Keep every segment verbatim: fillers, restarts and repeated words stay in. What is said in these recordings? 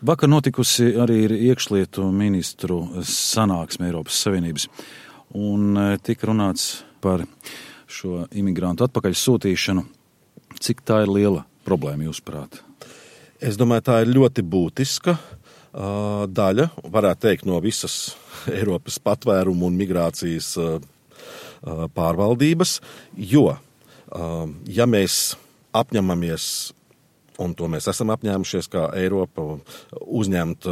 Vakar notikusi arī ir iekšlietu ministru sanāksme Eiropas Savienības, un tika runāts par šo imigrantu atpakaļ sūtīšanu. Cik tā ir liela problēma, jūsuprāt? Es domāju, tā ir ļoti būtiska uh, daļa, varētu teikt, no visas Eiropas patvērumu un migrācijas uh, pārvaldības, jo, uh, ja mēs apņemamies, un to mēs esam apņēmušies, kā Eiropa, uzņemt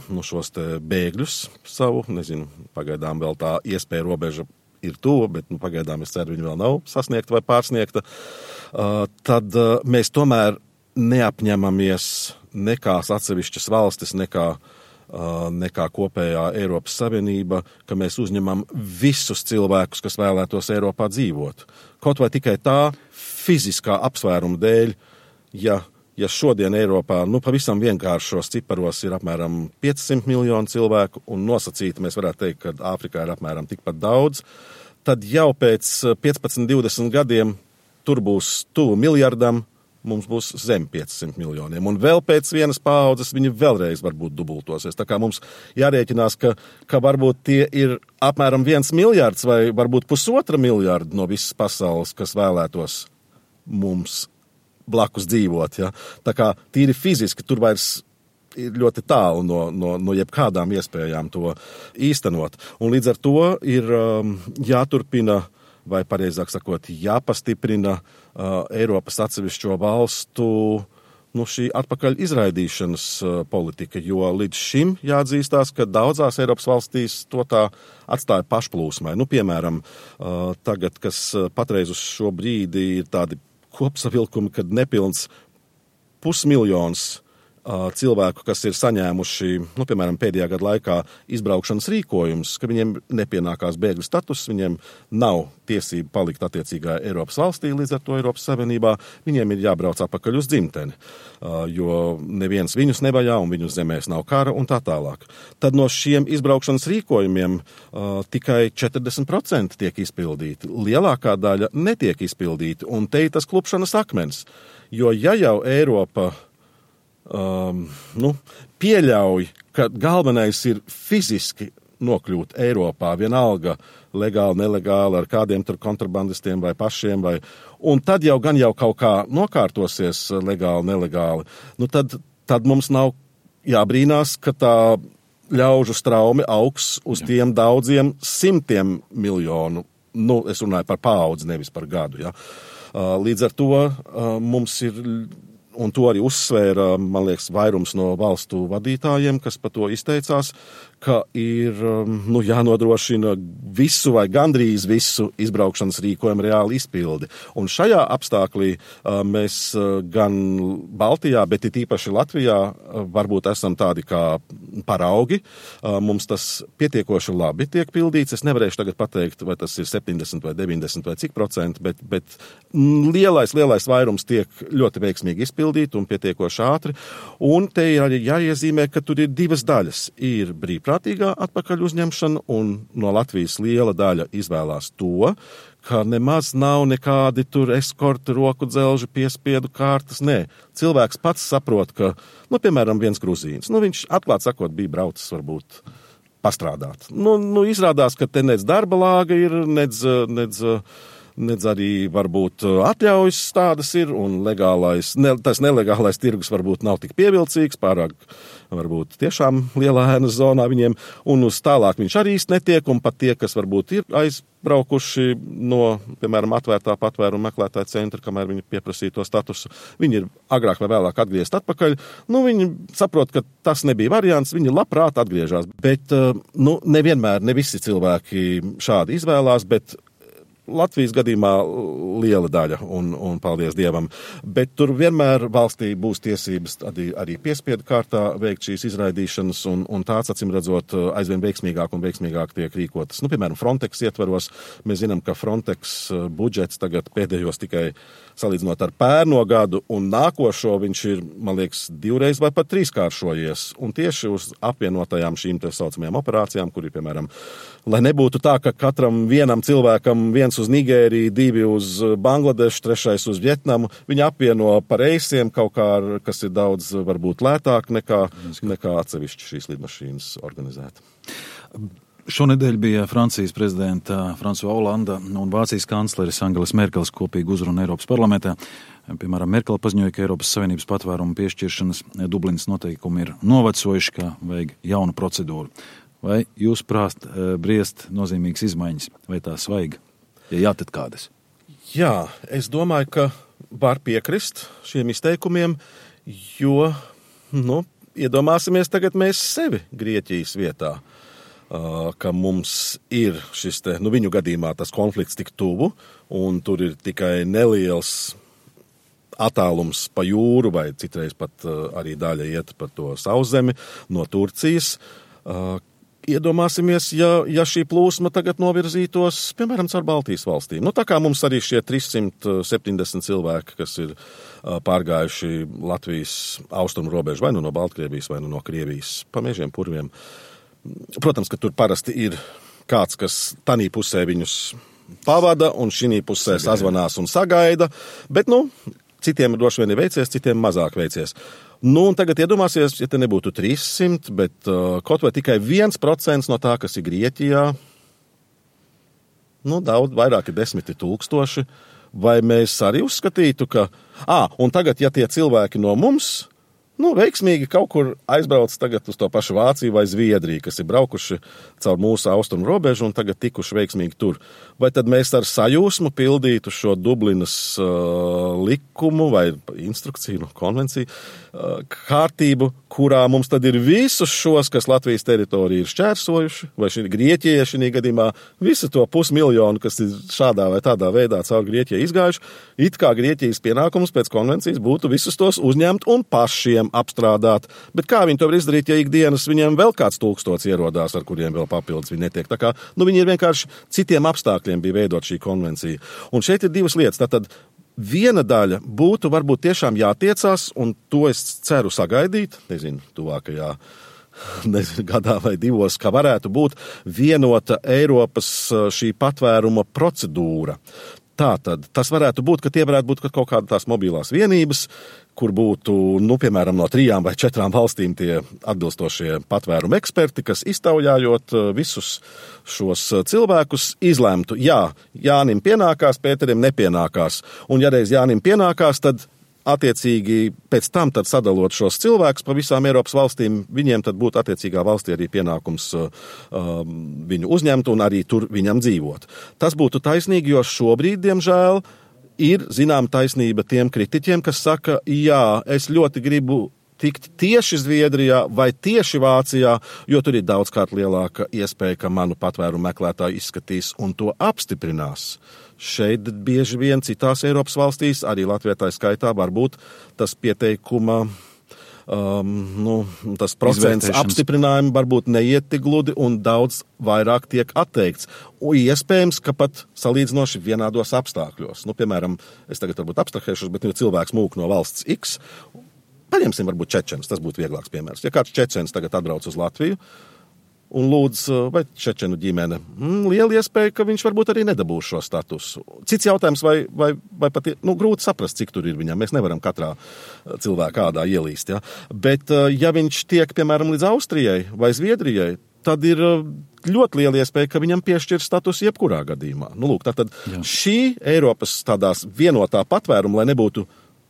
nu, šos te bēgļus savu, nezinu, pagaidām vēl tā iespēja robeža ir tuva, bet nu, pagaidām es ceru, viņa vēl nav sasniegta vai pārsniegta, uh, tad uh, mēs tomēr neapņemamies nekās atsevišķas valstis, nekā, uh, nekā kopējā Eiropas Savienība, ka mēs uzņemam visus cilvēkus, kas vēlētos Eiropā dzīvot. Kaut vai tikai tā fiziskā apsvēruma dēļ, ja Ja šodien Eiropā, nu, pavisam vienkāršos ciparos ir apmēram piecsimt miljoni cilvēku, un nosacīti mēs varētu teikt, ka Āfrikā ir apmēram tikpat daudz, tad jau pēc piecpadsmit divdesmit gadiem tur būs tuvu miljardam, mums būs zem piecsimt miljoniem. Un vēl pēc vienas paaudzes viņi vēlreiz varbūt dubultosies. Tā kā mums jārēķinās, ka, ka varbūt tie ir apmēram viens miljards vai varbūt pusotra miljarda no visas pasaules, kas vēlētos mums blakus dzīvot, ja. Tā kā tīri fiziski tur vairs ir ļoti tālu no, no, no jebkādām iespējām to īstenot. Un līdz ar to ir um, jāturpina, vai pareizāk sakot, jāpastiprina uh, Eiropas atsevišķo valstu nu, šī atpakaļ izraidīšanas uh, politika, jo līdz šim jāatzīstās, ka daudzās Eiropas valstīs to tā atstāja pašplūsmai. Nu, piemēram, uh, tagad, kas patreiz uz šo brīdi ir tādi kopsavilkumi, kad nepilns pusmiljons uh, cilvēku, kas ir saņēmuši, nu, piemēram, pēdējā gada laikā izbraukšanas rīkojums, ka viņiem nepienākās bēgļu status, viņiem nav tiesība palikt attiecīgā Eiropas valstī, līdz ar to Eiropas Savienībā, viņiem ir jābrauc atpakaļ uz dzimteni, uh, jo neviens viņus nevajā un viņu zemēs nav kara un tā tālāk. Tad no šiem izbraukšanas rīkojumiem uh, tikai četrdesmit procenti tiek izpildīti. Lielākā daļa netiek izpildīti, un te ir tas klupšanas akmens. Jo ja jau Eiropa um, nu, pieļauj, ka galvenais ir fiziski nokļūt Eiropā, vienalga legāli, nelegāli, ar kādiem tur kontrabandistiem vai pašiem, vai, un tad jau gan jau kaut kā nokārtosies legāli, nelegāli, nu tad, tad mums nav jābrīnās, ka tā ļaužu straumi augs uz tiem daudziem simtiem miljonu, nu, es runāju par paudzi, nevis par gadu, ja. Līdz ar to mums ir, un to arī uzsvēra, man liekas, vairums no valstu vadītājiem, kas par to izteicās, ka ir nu, jānodrošina visu vai gandrīz visu izbraukšanas rīkojumu reāli izpildi. Un šajā apstāklī mēs gan Baltijā, bet it īpaši Latvijā varbūt esam tādi kā paraugi. Mums tas pietiekoši labi tiek pildīts. Es nevarēšu tagad pateikt, vai tas ir septiņdesmit vai deviņdesmit vai cik procenti, bet, bet lielais, lielais vairums tiek ļoti veiksmīgi izpildīt un pietiekoši ātri. Un te ir arī jāiezīmē, ka tur ir divas daļas. Ir brīvprātīgā atpakaļ uzņemšana, un no Latvijas liela daļa izvēlās to, ka nemaz nav nekādi tur eskorti, roku dzelži, piespiedu kārtas. Nē, cilvēks pats saprot, ka, nu, piemēram, viens gruzīns, nu, viņš atklāt sakot bija braucis varbūt pastrādāt. Nu, nu izrādās, ka te nec darba lāga ir, nec, nec, nec arī varbūt atļaujas tādas ir, un legālais, ne, tas nelegālais tirgus varbūt nav tik pievilcīgs, pārāk varbūt tiešām lielā ēnas zonā viņiem, un uz tālāk viņš arī īsti netiek, un pat tie, kas varbūt ir aizbraukuši no, piemēram, atvērtā patvērumu meklētāja centra, kamēr viņi pieprasīja to statusu, viņi ir agrāk vai vēlāk atgriezt atpakaļ, nu, viņi saprot, ka tas nebija variants, viņi labprāt atgriežās, bet, nu, nevienmēr, ne visi cilvēki šādi izvēlās, bet Latvijas gadījumā liela daļa, un, un paldies Dievam, bet tur vienmēr valstī būs tiesības arī, arī piespiedu kārtā veikt šīs izraidīšanas, un, un tāds, acīm redzot, aizvien veiksmīgāk un veiksmīgāk tiek rīkotas. Nu, piemēram, Frontex ietvaros, mēs zinām, ka Frontex budžets tagad pēdējos tikai salīdzinot ar pērno gadu, un nākošo viņš ir, man liekas, divreiz vai pat trīskāršojies, un tieši uz apvienotajām šīm te saucamajām operācijām, kur ir, piemēram, lai nebūtu tā, ka katram vienam cilvēkam viens viens uz Nigēriju, divi uz Bangladešu, trešais uz Vietnamu. Viņi apvieno par reisiem kaut kā, kas ir daudz varbūt lētāk nekā, nekā atsevišķi šīs lidmašīnas organizēt. Šonedēļ bija Francijas prezidenta François Hollande un Vācijas kancleris Angelas Merkeles kopīga uzruna Eiropas parlamentā. Piemēram, Merkele paziņoja, ka Eiropas Savienības patvērumu piešķiršanas Dublinas noteikumi ir novecojuši, ka vajag jaunu procedūru. Vai jūs prāt briest nozīmīgas izmaiņas, vai tās vajag? Ja jā, tad kādas? Jā, es domāju, ka var piekrist šiem izteikumiem, jo, nu, iedomāsimies tagad mēs sevi Grieķijas vietā. Ka mums ir šis te, nu viņu gadījumā tas konflikts tik tuvu, un tur ir tikai neliels attālums pa jūru, vai citreiz pat arī daļa iet par to sauszemi no Turcijas. Iedomāsimies, ja, ja šī plūsma tagad novirzītos, piemēram, caur Baltijas valstīm. Nu, tā kā mums arī šie trīs simti septiņdesmit cilvēki, kas ir pārgājuši Latvijas austrumu robežu, vai nu no Baltkrievijas, vai nu no Krievijas, pa mežiem, purviem. Protams, ka tur parasti ir kāds, kas tanī pusē viņus pavada un šī pusē sazvanās un sagaida, bet, nu, citiem droši vien ir veicies, citiem mazāk veicies. Nu, un tagad iedomāsies, ja te nebūtu trīs simti, bet uh, kaut vai tikai viens procents no tā, kas ir Grieķijā, nu, daudz, vairāk ir desmiti tūkstoši, vai mēs arī uzskatītu, ka, ā, un tagad, ja tie cilvēki no mums, nu, veiksmīgi kaut kur aizbrauc tagad uz to pašu Vāciju vai Zviedriju, kas ir braukuši caur mūsu austrumu robežu un tagad tikuši veiksmīgi tur. Vai tad mēs ar sajūsmu pildītu šo Dublinas uh, likumu vai instrukciju, konvenciju uh, kārtību, kurā mums tad ir visus šos, kas Latvijas teritoriju ir šķērsojuši, vai šī Grieķija šī gadījumā visu to pusmiljonu, kas ir šādā vai tādā veidā caur Grieķiju izgājuši, it kā Grieķijas pienākums pēc konvencijas būtu visus tos uzņemt un pašiem apstrādāt. Bet kā viņi to var izdarīt, ja ikdienas viņiem vēl kāds tūkstots ierodās, ar kuriem vēl papildus viņi netiek? Tā kā, nu, viņi ir vienkārši citiem apstākļiem bija veidot šī konvencija. Un šeit ir divas lietas. Tātad viena daļa būtu varbūt tiešām jātiecās, un to es ceru sagaidīt, nezinu, tuvākajā nezinu, gadā vai divos, ka varētu būt vienota Eiropas šī patvēruma procedūra. Tātad tas varētu būt, ka tie varētu būt kaut kāda tās mobilās vienības, kur būtu, nu, piemēram, no trijām vai četrām valstīm tie atbilstošie patvērumu eksperti, kas iztaujājot visus šos cilvēkus izlemtu, jā, Jānim pienākās, Pēterim nepienākās. Un ja reiz Jānim pienākās, tad attiecīgi pēc tam tad sadalot šos cilvēkus pa visām Eiropas valstīm, viņiem tad būtu attiecīgā valstī arī pienākums uh, viņu uzņemt un arī tur viņam dzīvot. Tas būtu taisnīgi, jo šobrīd, diemžēl, ir zinām taisnība tiem kritiķiem, kas saka, jā, es ļoti gribu tikt tieši Zviedrijā vai tieši Vācijā, jo tur ir daudzkārt lielāka iespēja, ka manu patvērumu meklētāju izskatīs un to apstiprinās. Šeit bieži vien citās Eiropas valstīs, arī Latvijā tā skaitā, varbūt tas pieteikuma, um, nu, tas procents apstiprinājumu varbūt neiet tik gludi un daudz vairāk tiek atteikts. Un iespējams, ka pat salīdzinoši vienādos apstākļos. Nu, piemēram, es tagad varbūt abstrahēšos, bet ja cilvēks mūk no valsts X, paņemsim varbūt čečens, tas būtu vieglāks piemērs. Ja kāds čečens tagad atbrauc uz Latviju, un lūdz, vai čečenu ģimene, mm, liela iespēja, ka viņš varbūt arī nedabūs šo statusu. Cits jautājums, vai, vai, vai pat, nu, grūti saprast, cik tur ir viņam. Mēs nevaram katrā cilvēkā ādā ielīst, ja? Bet, ja viņš tiek, piemēram, līdz Austrijai vai Zviedrijai, tad ir ļoti liela iespēja, ka viņam piešķir status jebkurā gadījumā. Nu, lūk, tātad Jā. Šī Eiropas tādās vienotā patvēruma, lai nebūtu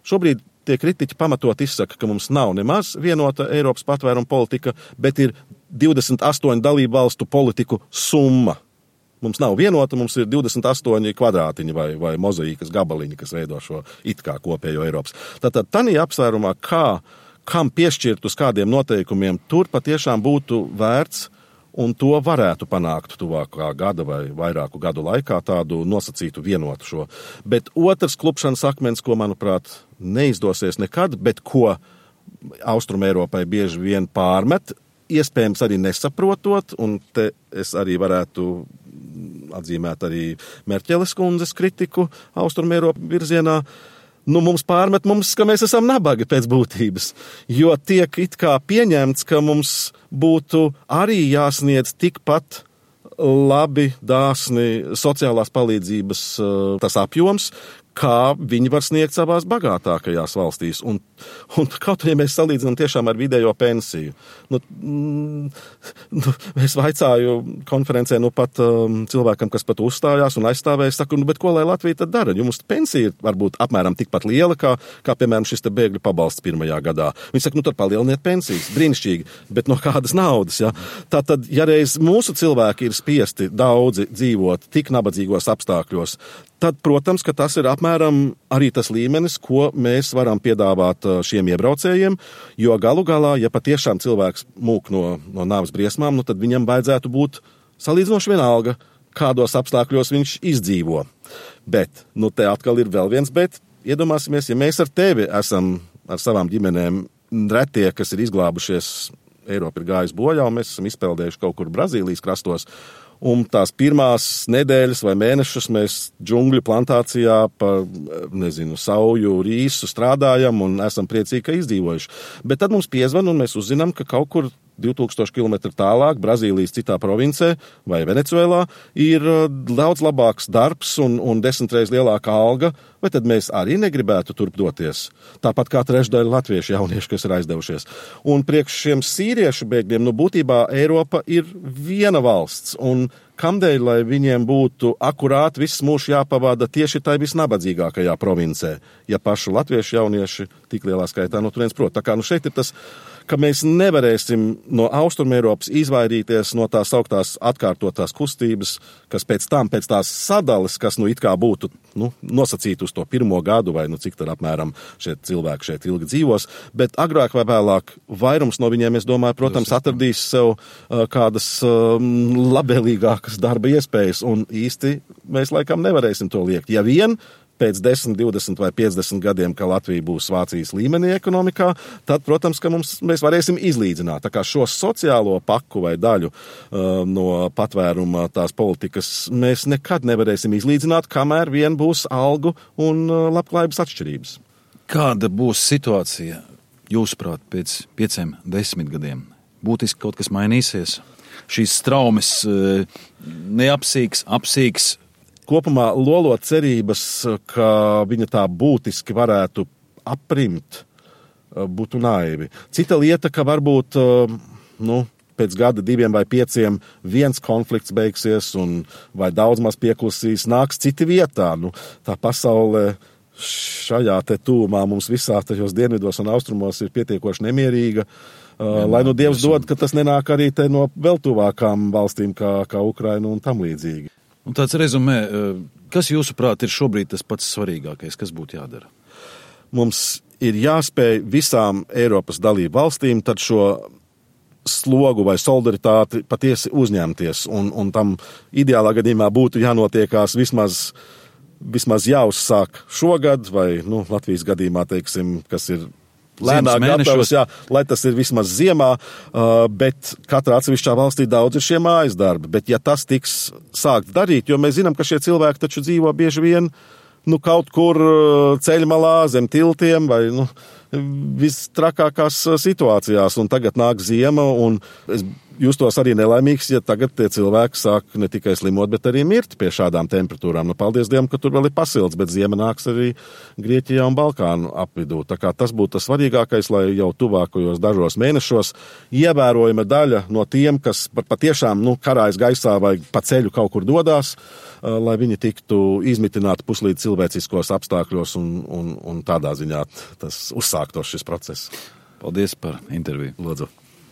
šobrīd tie kritiķi pamatot izsaka, ka mums nav nemaz vienota Eiropas patvēruma politika, bet ir divdesmit astoņu dalību valstu politiku summa. Mums nav vienota, mums ir divdesmit astoņi kvadrātiņi vai, vai mozaīkas gabaliņi, kas veido šo it kā kopējo Eiropas. Tātad tanī apsvērumā, kā, kam piešķirt uz kādiem noteikumiem, tur patiešām būtu vērts un to varētu panākt tuvākā gada vai vairāku gadu laikā tādu nosacītu vienotu šo. Bet otrs klupšanas akmens, ko, manuprāt, neizdosies nekad, bet ko Austrum Eiropai bieži vien pārmet, iespējams arī nesaprotot, un te es arī varētu atzīmēt arī Merķeles kundzes kritiku Austrum Eiropa virzienā. Nu, mums pārmet mums, ka mēs esam nabagi pēc būtības, jo tiek it kā pieņemts, ka mums būtu arī jāsniedz tikpat labi, dāsni sociālās palīdzības tas apjoms, kā viņi var sniegt savās bagātākajās valstīs. Un, un kaut arī mēs salīdzinām tiešām ar vidējo pensiju. Nu, mm, nu, es vaicāju konferencē nu pat um, cilvēkam, kas pat uzstājās un aizstāvēja, saku, nu, bet ko lai Latvija tad dara? Jums pensija ir varbūt apmēram tikpat liela, kā, kā piemēram, šis te bēgļu pabalsts pirmajā gadā. Viņi saka, nu tad palieliniet pensijas, brīnišķīgi, bet no kādas naudas, ja? Tātad, ja reiz mūsu cilvēki ir spiesti daudzi dzīvot tik nabadzīgos apstākļos, tad, protams, ka tas ir apmēram arī tas līmenis, ko mēs varam piedāvāt šiem iebraucējiem, jo galu galā, ja patiešām cilvēks mūk no, no nāves briesmām, nu tad viņam vajadzētu būt salīdzinoši vienalga, kādos apstākļos viņš izdzīvo. Bet, nu te atkal ir vēl viens bet, iedomāsimies, ja mēs ar tevi esam ar savām ģimenēm retie, kas ir izglābušies, Eiropa ir gājis bojā, un mēs esam izpeldējuši kaut kur Brazīlijas krastos, un tās pirmās nedēļas vai mēnešus mēs džungļu plantācijā pa, nezinu, sauju, rīsu strādājam un esam priecīgi, ka izdzīvojuši. Bet tad mums piezvan un mēs uzzinām, ka kaut kur divtūkstoši kilometru tālāk, Brazīlijas citā provincē vai Venecuēlā, ir daudz labāks darbs un, un desmitreiz lielāka alga, vai tad mēs arī negribētu turp doties? Tāpat kā trešdaļa latviešu jauniešu, kas ir aizdevušies. Un priekš šiem sīriešu bēgļiem, nu būtībā Eiropa ir viena valsts, un kamdēļ, lai viņiem būtu akurāti viss mūžs jāpavada tieši tai visnabadzīgākajā provincē, ja pašu latviešu jaunieši tik lielā skaitā no turienes prot. Tā kā nu šeit ir tas, ka mēs nevarēsim no Austrumeiropas izvairīties no tās augtās atkārtotās kustības, kas pēc tam, pēc tās sadales, kas nu it kā būtu nu, nosacīti uz to pirmo gadu, vai nu cik tad apmēram šie cilvēki šeit ilgi dzīvos, bet agrāk vai vēlāk vairums no viņiem, es domāju, protams, atradīs sev uh, kādas uh, labvēlīgākas darba iespējas, un īsti mēs laikam nevarēsim to liekt. Ja vien pēc desmit, divdesmit vai piecdesmit gadiem, ka Latvija būs Vācijas līmenī ekonomikā, tad, protams, ka mums, mēs varēsim izlīdzināt. Tā kā šo sociālo paku vai daļu uh, no patvēruma tās politikas mēs nekad nevarēsim izlīdzināt, kamēr vien būs algu un uh, labklājības atšķirības. Kāda būs situācija, jūsuprāt, pēc pieciem, desmit gadiem? Būtiski kaut kas mainīsies? Šīs traumas uh, neapsīks, apsīks? Kopumā lolot cerības, ka viņa tā būtiski varētu aprimt, būtu naivi. Cita lieta, ka varbūt, nu, pēc gada, diviem vai pieciem viens konflikts beigsies un vai daudz maz pieklusīs, nāks citi vietā. Nu, tā pasaule šajā te tūmā mums visā tajos dienvidos un austrumos ir pietiekoši nemierīga. Uh, lai nu Dievs dod, ka tas nenāk arī te no vēl tuvākām valstīm kā, kā Ukraina un tam līdzīgi. Un tāds rezumē, kas jūsuprāt ir šobrīd tas pats svarīgākais, kas būtu jādara? Mums ir jāspēj visām Eiropas dalību valstīm tad šo slogu vai solidaritāti patiesi uzņemties, un, un tam ideālā gadījumā būtu jānotiekās vismaz, vismaz jāuzsāk šogad, vai, nu, Latvijas gadījumā, teiksim, kas ir lēnāk gatavs, jā, lai tas ir vismaz ziemā, uh, bet katrā atsevišķā valstī daudz ir šie mājas darbi. Bet ja tas tiks sākt darīt, jo mēs zinām, ka šie cilvēki taču dzīvo bieži vien nu, kaut kur ceļmalā, zem tiltiem vai nu, vistrakākās situācijās, un tagad nāk ziema, un es justos arī nelaimīgs, ja tagad tie cilvēki sāk ne tikai slimot, bet arī mirt pie šādām temperatūrām. Nu, paldies Dievam, ka tur vēl ir pasilts, bet ziema nāks arī Grieķijā un Balkānu apvidū. Tā kā tas būtu tas svarīgākais, lai jau tuvākajos dažos mēnešos ievērojama daļa no tiem, kas patiešām nu, karājas gaisā vai pa ceļu kaut kur dodās, lai viņi tiktu izmitināti puslīdz cilvēciskos apstākļos un, un, un tādā ziņā tas uzsāktos šis process. Paldies par interviju. Lūdzu.